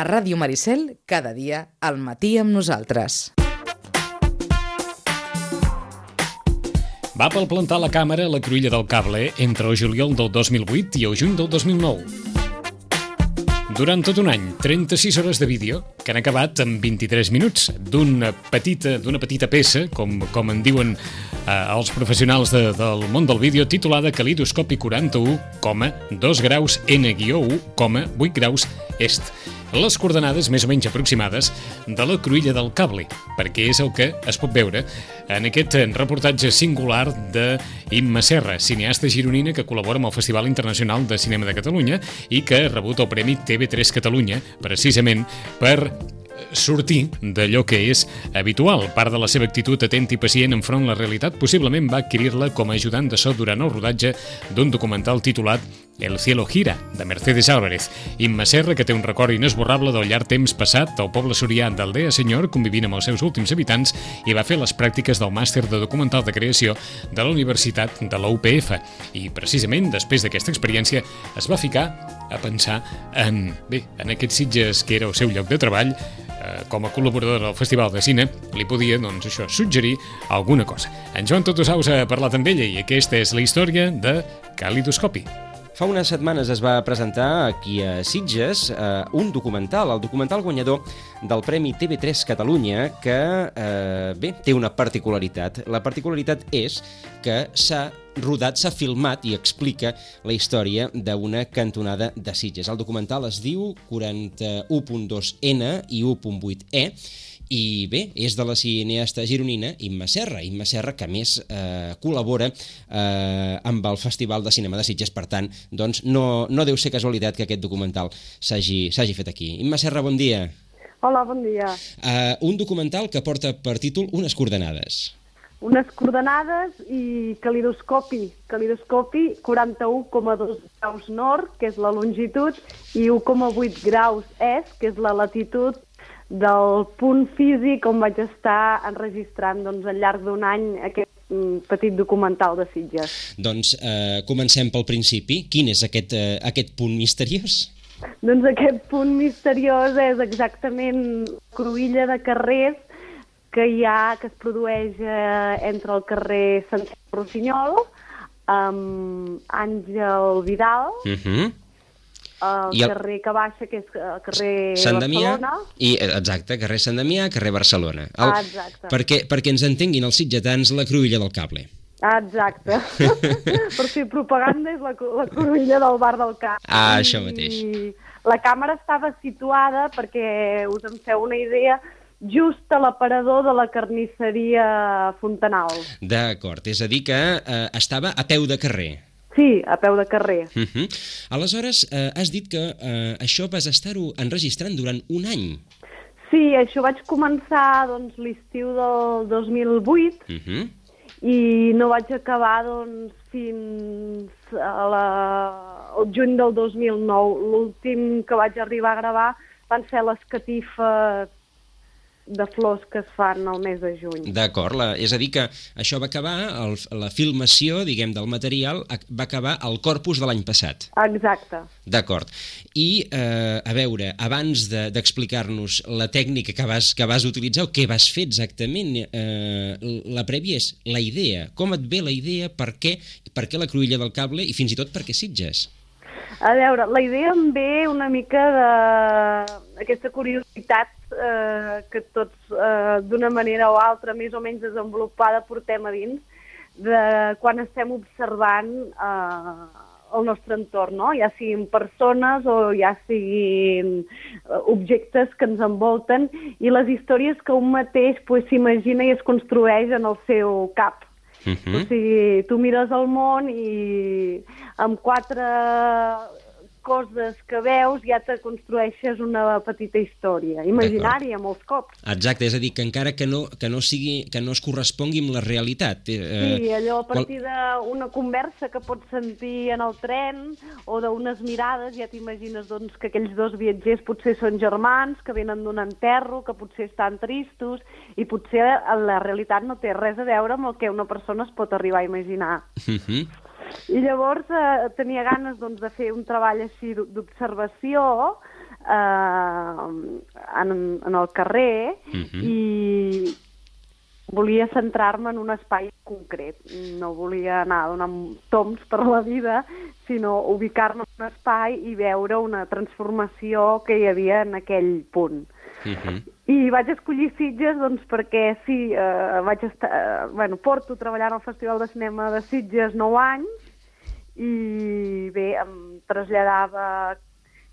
A Ràdio Maricel, cada dia, al matí amb nosaltres. Va palplantar la càmera a la Cruïlla del Cable entre el juliol del 2008 i el juny del 2009. Durant tot un any, 36 hores de vídeo que han acabat en 23 minuts d'una petita peça, com en diuen els professionals del món del vídeo, titulada Calidoscopi 41,2 graus N-1,8 graus est. Les coordenades més o menys aproximades de la Cruïlla del Cable, perquè és el que es pot veure en aquest reportatge singular d'Imma Serra, cineasta gironina que col·labora amb el Festival Internacional de Cinema de Catalunya i que ha rebut el Premi TV3 Catalunya, precisament per sortir d'allò que és habitual. Part de la seva actitud atenta i pacient enfront la realitat possiblement va adquirir-la com a ajudant de so durant el rodatge d'un documental titulat El cielo gira, de Mercedes Álvarez. Imma Serra, que té un record inesborrable del llarg temps passat al poble sorià d'Aldea Senyor, convivint amb els seus últims habitants, i va fer les pràctiques del màster de documental de creació de la Universitat de la UPF. I precisament després d'aquesta experiència es va ficar a pensar en aquests Sitges que era el seu lloc de treball. Com a col·laborador del Festival de Cine li podia, suggerir alguna cosa. En Joan Totosaus ha parlat amb ella i aquesta és la història de Calidoscopi. Fa unes setmanes es va presentar aquí a Sitges un documental, el documental guanyador del Premi TV3 Catalunya, que té una particularitat. La particularitat és que s'ha rodat, s'ha filmat i explica la història d'una cantonada de Sitges. El documental es diu 41.2N i 1.8E i és de la cineasta gironina Imma Serra, que a més col·labora amb el Festival de Cinema de Sitges. Per tant, doncs, no deu ser casualitat que aquest documental s'hagi fet aquí. Imma Serra, bon dia. Hola, bon dia. Un documental que porta per títol Unes coordenades. Unes coordenades i calidoscopi 41,2 graus nord, que és la longitud, i 1,8 graus est, que és la latitud del punt físic on vaig estar enregistrant al llarg d'un any aquest petit documental de Sitges. Doncs comencem pel principi. Quin és aquest punt misteriós? Doncs aquest punt misteriós és exactament cruïlla de carrers que es produeix entre el carrer Santiago Rossinyol, Àngel Vidal, el carrer que baixa, que és el carrer Barcelona. Exacte, carrer Sant Damià, carrer Barcelona. Exacte. Perquè ens entenguin els sitgetans, la Cruïlla del Cable. Exacte. Per fer propaganda és la cruïlla del bar del Camp. Això mateix. I la càmera estava situada, perquè us en feu una idea, just a l'aparador de la carnisseria Fontanal. D'acord, és a dir que estava a peu de carrer. Sí, a peu de carrer. Aleshores, has dit que això vas estar-ho enregistrant durant un any. Sí, això vaig començar l'estiu del 2008 i no vaig acabar fins al juny del 2009. L'últim que vaig arribar a gravar van ser les catifes de flors que es fan al mes de juny. D'acord, és a dir que això va acabar, la filmació, diguem, del material, va acabar al corpus de l'any passat. Exacte. D'acord. I, a veure, abans d'explicar-nos la tècnica que vas utilitzar, o què vas fer exactament, la prèvia és la idea. Com et ve la idea, per què la Cruïlla del Cable i fins i tot per què Sitges? A veure, la idea em ve una mica d'aquesta curiositat que tots, d'una manera o altra, més o menys desenvolupada, portem a dins, de quan estem observant el nostre entorn, no? Ja siguin persones o ja siguin objectes que ens envolten, i les històries que un mateix s'imagina i es construeix en el seu cap. O sigui, tu mires el món i amb 4 coses que veus ja te construeixes una petita història, imaginària molts cops. Exacte, és a dir, que encara que no es correspongui amb la realitat. Sí, allò a partir d'una conversa que pots sentir en el tren o d'unes mirades ja t'imagines que aquells dos viatgers potser són germans, que venen d'un enterro, que potser estan tristos, i potser la realitat no té res a veure amb el que una persona es pot arribar a imaginar. I llavors tenia ganes de fer un treball així d'observació en el carrer i volia centrar-me en un espai concret. No volia anar donant toms per la vida, sinó ubicar-me en un espai i veure una transformació que hi havia en aquell punt. I vaig escollir Sitges doncs, perquè sí, porto treballant al Festival de Cinema de Sitges 9 anys i bé, em traslladava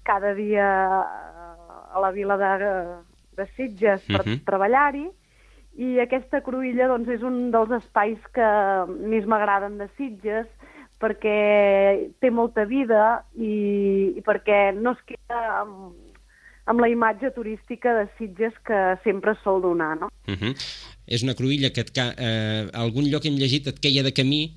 cada dia a la vila de Sitges per treballar-hi, i aquesta cruïlla doncs, és un dels espais que més m'agraden de Sitges, perquè té molta vida i perquè no es queda amb la imatge turística de Sitges que sempre es sol donar, no? És una cruïlla que algun lloc hem llegit et queia de camí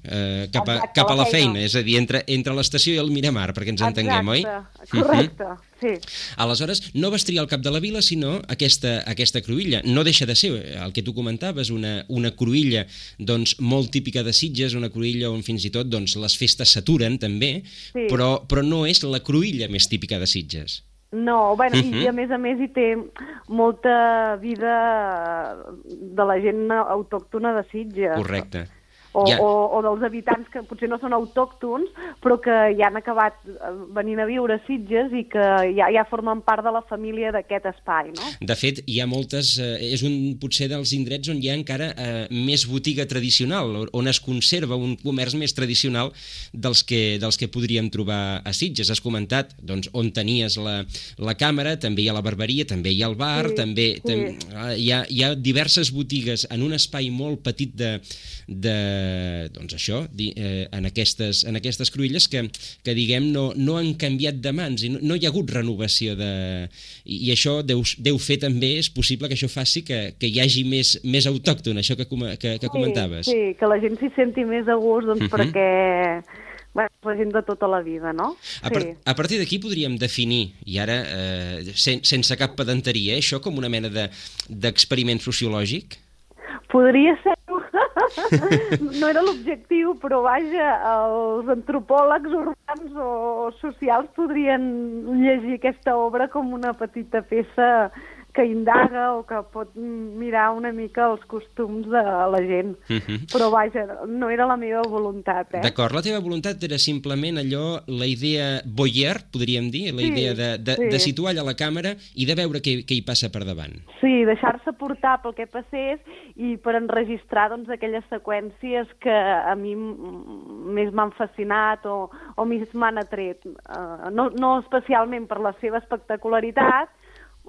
cap a la feina, és a dir, entre l'estació i el Miramar, perquè ens entenguem, oi? Correcte, sí. Aleshores, no vas triar el cap de la vila, sinó aquesta cruïlla. No deixa de ser, el que tu comentaves, una cruïlla doncs, molt típica de Sitges, una cruïlla on fins i tot doncs, les festes s'aturen, també, però no és la cruïlla més típica de Sitges. No, i a més hi té molta vida de la gent autòctona de Sitges. Correcte. O dels habitants que potser no són autòctons, però que ja han acabat venint a viure a Sitges i que ja formen part de la família d'aquest espai, no? De fet, hi ha moltes... és potser dels indrets on hi ha encara més botiga tradicional, on es conserva un comerç més tradicional dels que podríem trobar a Sitges. Has comentat doncs, on tenies la càmera, també hi ha la barberia, també hi ha el bar, també hi ha diverses botigues en un espai molt petit doncs això, en aquestes cruïlles que diguem, no han canviat de mans i no hi ha hagut renovació i això deu fer també, és possible que això faci que hi hagi més autòcton, això que comentaves. Sí, que la gent s'hi senti més a gust, doncs perquè la gent de tota la vida, no? A partir d'aquí podríem definir, i ara sense cap pedanteria, això com una mena d'experiment sociològic? Podria ser. No era l'objectiu, però vaja, els antropòlegs urbans o socials podrien llegir aquesta obra com una petita peça que indaga o que pot mirar una mica els costums de la gent. Però vaja, no era la meva voluntat. D'acord, la teva voluntat era simplement allò, la idea voyeur, podríem dir, la idea de situar allà la càmera i de veure què hi passa per davant. Sí, deixar-se portar pel que passés i per enregistrar doncs, aquelles seqüències que a mi més m'han fascinat o més m'han atret. No especialment per la seva espectacularitat,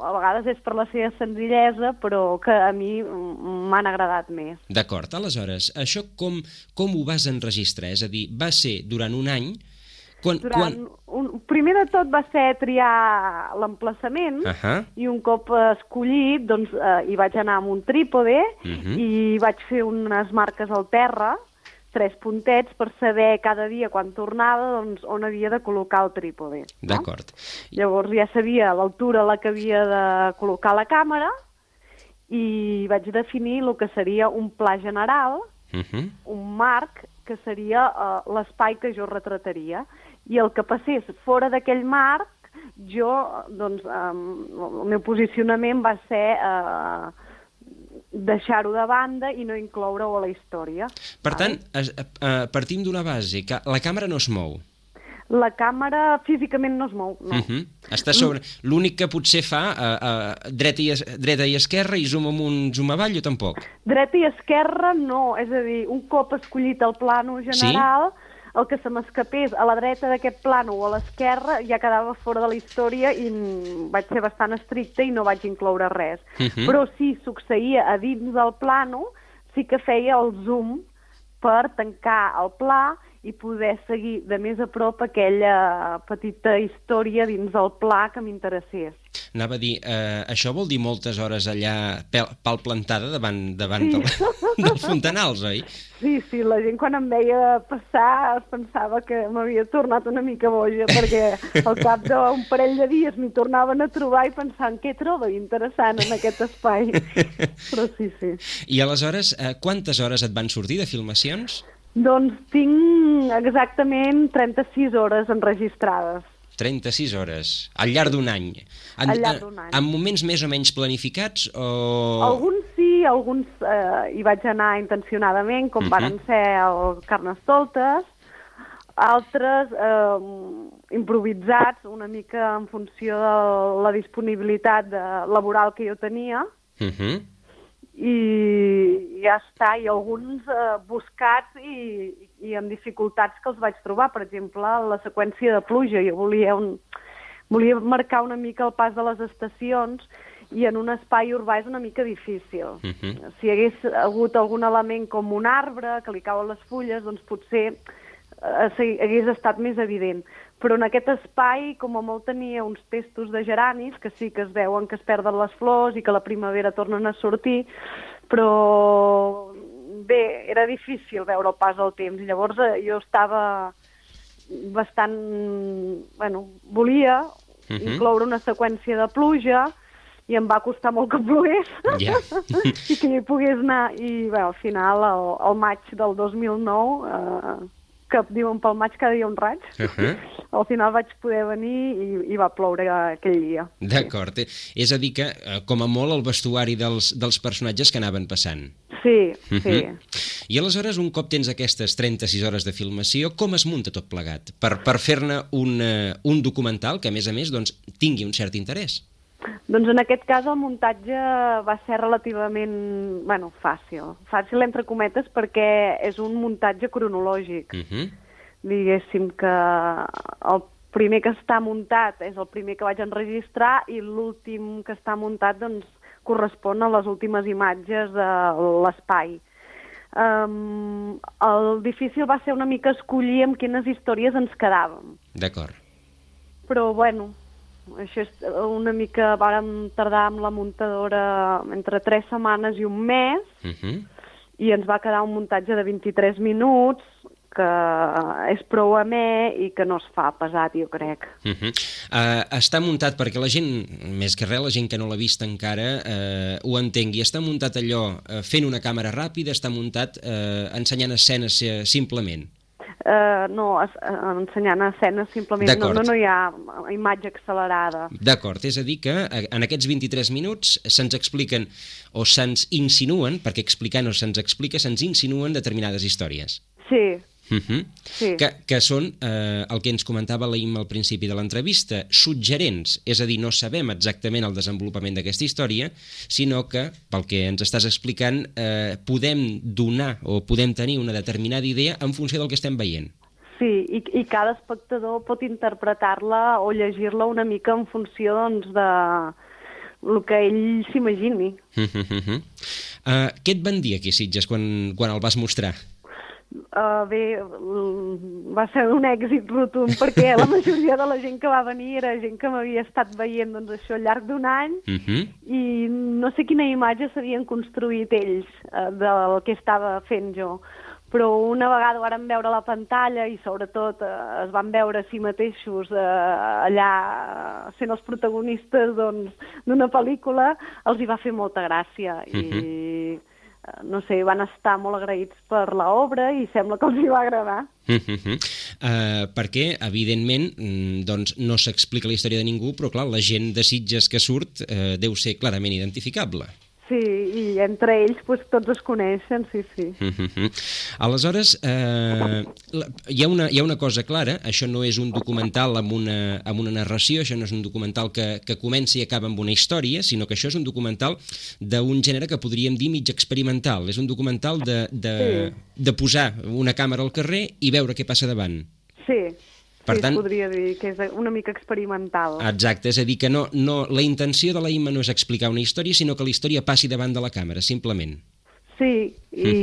a vegades és per la seva senzillesa, però que a mi m'han agradat més. D'acord, aleshores, això com ho vas enregistrar? És a dir, va ser durant un any? Primer de tot va ser triar l'emplaçament i un cop escollit doncs, hi vaig anar amb un trípode i vaig fer unes marques al terra, 3 puntets per saber cada dia quan tornava doncs, on havia de col·locar el trípode. No? D'acord. Llavors ja sabia l'altura a la que havia de col·locar la càmera i vaig definir el que seria un pla general, un marc que seria l'espai que jo retrataria. I el que passés fora d'aquell marc, doncs, el meu posicionament va ser deixar-ho de banda i no incloure-ho a la història. Per tant, partim d'una base, que la càmera no es mou. La càmera físicament no es mou, no. Està sobre... L'únic que potser fa dreta i esquerra i zoom amunt, zoom avall o tampoc? Dreta i esquerra no, és a dir, un cop escollit el plano general... Sí? El que se m'escapés a la dreta d'aquest plano o a l'esquerra ja quedava fora de la història i vaig ser bastant estricta i no vaig incloure res. Però si succeïa a dins del plano, sí que feia el zoom per tancar el pla i poder seguir de més a prop aquella petita història dins del pla que m'interessés. Anava a dir, això vol dir moltes hores allà palplantada davant del Fontanals, oi? Sí, la gent quan em veia passar es pensava que m'havia tornat una mica boja, perquè al cap d'un parell de dies m'hi tornaven a trobar i pensant què trobo interessant en aquest espai. Però sí. I aleshores, quantes hores et van sortir de filmacions? Doncs tinc exactament 36 hores enregistrades. 36 hores, al llarg d'un any. Al llarg d'un any. En moments més o menys planificats o... Alguns sí, alguns hi vaig anar intencionadament, com varen ser el Carnestoltes, altres improvisats, una mica en funció de la disponibilitat laboral que jo tenia, i ja està, i alguns buscats i amb dificultats que els vaig trobar. Per exemple, la seqüència de pluja. Jo volia marcar una mica el pas de les estacions i en un espai urbà és una mica difícil. Si hi hagués hagut algun element com un arbre que li cauen les fulles, doncs potser hagués estat més evident. Però en aquest espai, com a molt tenia uns testos de geranis, que sí que es veuen que es perden les flors i que a la primavera tornen a sortir, però bé, era difícil veure el pas del temps. I llavors jo estava bastant... Bueno, volia incloure una seqüència de pluja i em va costar molt que plogués i que hi pogués anar. I bé, al final, al maig del 2009... que diuen pel maig cada dia un raig, al final vaig poder venir i va ploure aquell dia. D'acord. És a dir que, com a molt, el vestuari dels personatges que anaven passant. Sí, sí. I aleshores, un cop tens aquestes 36 hores de filmació, com es munta tot plegat? Per fer-ne un documental que, a més, doncs, tingui un cert interès. Doncs en aquest cas el muntatge va ser relativament, fàcil. Fàcil entre cometes perquè és un muntatge cronològic. Diguéssim que el primer que està muntat és el primer que vaig enregistrar i l'últim que està muntat doncs correspon a les últimes imatges de l'espai. El difícil va ser una mica escollir amb quines històries ens quedàvem. D'acord. Però bueno... Això és una mica... Vàrem tardar amb la muntadora entre 3 setmanes i un mes i ens va quedar un muntatge de 23 minuts que és prou amè i que no es fa pesat, jo crec. Està muntat perquè la gent, més que res, la gent que no l'ha vist encara, ho entengui. Està muntat allò fent una càmera ràpida, està muntat ensenyant escenes simplement? No, ensenyant escenes simplement, no hi ha imatge accelerada. D'acord, és a dir que en aquests 23 minuts se'ns expliquen o se'ns insinuen, perquè explicar no se'ns explica, se'ns insinuen determinades històries. Sí. Sí. Que són el que ens comentava l'Aim al principi de l'entrevista, suggerents, és a dir, no sabem exactament el desenvolupament d'aquesta història, sinó que, pel que ens estàs explicant, podem donar o podem tenir una determinada idea en funció del que estem veient. Sí, i cada espectador pot interpretar-la o llegir-la una mica en funció doncs, de el que ell s'imagini. Què et van dir aquí, Sitges, quan el vas mostrar? Bé, va ser un èxit rotund perquè la majoria de la gent que va venir era gent que m'havia estat veient doncs, això al llarg d'un any i no sé quina imatge s'havien construït ells del que estava fent jo, però una vegada ho varen veure a la pantalla i sobretot es van veure a si mateixos allà sent els protagonistes d'una pel·lícula, els hi va fer molta gràcia i no sé, van estar molt agraïts per l'obra i sembla que els hi va agradar. Perquè, evidentment, doncs no s'explica la història de ningú, però clar, la gent de Sitges que surt deu ser clarament identificable. Sí, i entre ells doncs, tots es coneixen, sí. Aleshores, hi ha una cosa clara, això no és un documental amb una narració, això no és un documental que comença i acaba amb una història, sinó que això és un documental d'un gènere que podríem dir mig experimental, és un documental de posar una càmera al carrer i veure què passa davant. Sí. Per tant, es podria dir que és una mica experimental. Exacte, és a dir, que la intenció de la Imma no és explicar una història, sinó que la història passi davant de la càmera, simplement. Sí, i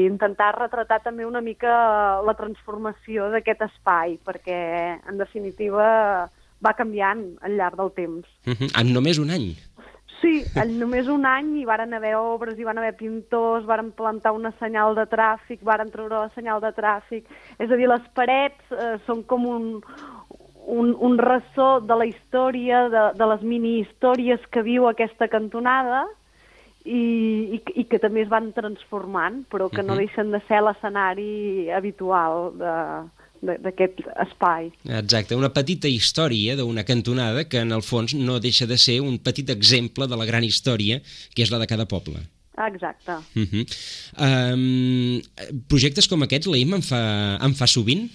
intentar retratar també una mica la transformació d'aquest espai, perquè, en definitiva, va canviant al llarg del temps. En només un any? Sí, en només un any hi varen haver obres, hi van haver pintors, varen plantar una senyal de tràfic, varen treure la senyal de tràfic. És a dir, les parets són com un ressò de la història, de les mini-històries que viu aquesta cantonada i que també es van transformant, però que no deixen de ser l'escenari habitual d'aquest espai. Exacte, una petita història d'una cantonada que en el fons no deixa de ser un petit exemple de la gran història que és la de cada poble. Exacte. Projectes com aquests, l'AIM en fa sovint?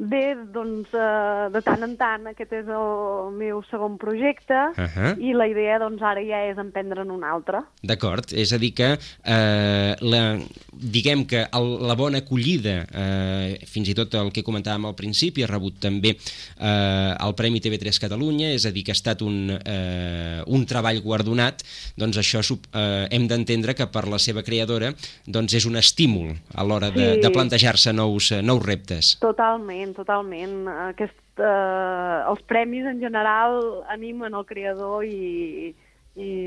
Bé, doncs, de tant en tant, aquest és el meu segon projecte i la idea, doncs, ara ja és emprendre'n un altre. D'acord, és a dir que diguem que la bona acollida, fins i tot el que comentàvem al principi, ha rebut també el Premi TV3 Catalunya, és a dir que ha estat un treball guardonat, doncs això hem d'entendre que per la seva creadora doncs és un estímul a l'hora de plantejar-se nous reptes. Totalment. Els premis en general animen el creador i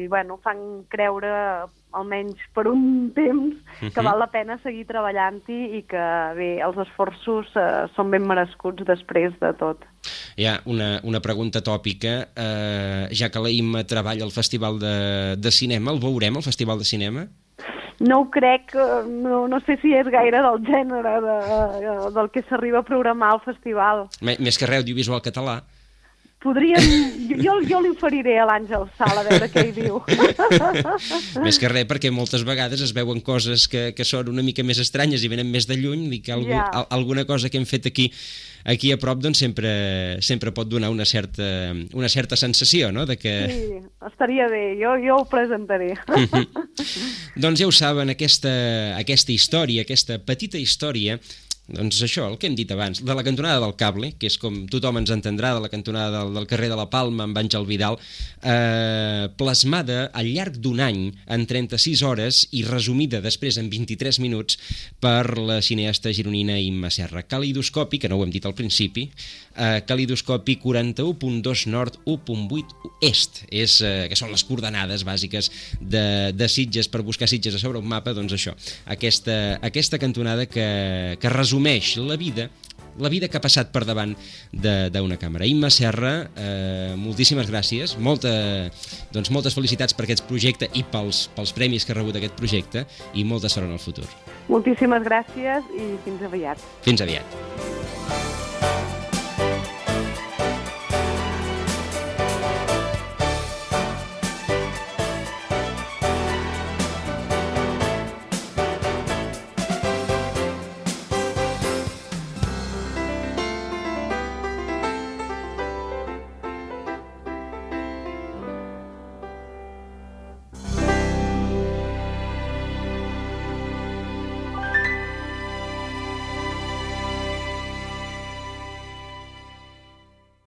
bueno, fan creure, almenys per un temps, que val la pena seguir treballant-hi i que bé, els esforços són ben merescuts després de tot. Hi ha una pregunta tòpica, ja que l'AIM treballa al Festival de Cinema, el veurem al Festival de Cinema? No ho crec, no sé si és gaire del gènere del que s'arriba a programar al festival. Més que res, audiovisual català. Podríem... Jo li oferiré a l'Àngel Sala a veure què hi diu. Més que res, perquè moltes vegades es veuen coses que són una mica més estranyes i venen més de lluny, i que alguna cosa que hem fet aquí a prop doncs sempre pot donar una certa sensació, no? Sí, estaria bé, jo ho presentaré. Doncs ja ho saben, aquesta història, aquesta petita història, doncs això, el que hem dit abans, de la cantonada del Cable, que és com tothom ens entendrà, de la cantonada del carrer de la Palma amb Àngel Vidal, plasmada al llarg d'un any en 36 hores i resumida després en 23 minuts per la cineasta gironina Imma Serra. Calidoscopi, que no ho hem dit al principi, calidoscopi 41.2 nord, 1.8 est, que són les coordenades bàsiques de Sitges, per buscar Sitges a sobre un mapa, doncs això, aquesta cantonada que resumeix la vida que ha passat per davant d'una càmera. Imma Serra, moltíssimes gràcies, moltes felicitats per aquest projecte i pels premis que ha rebut aquest projecte, i molta sort en el futur. Moltíssimes gràcies i fins aviat. Fins aviat.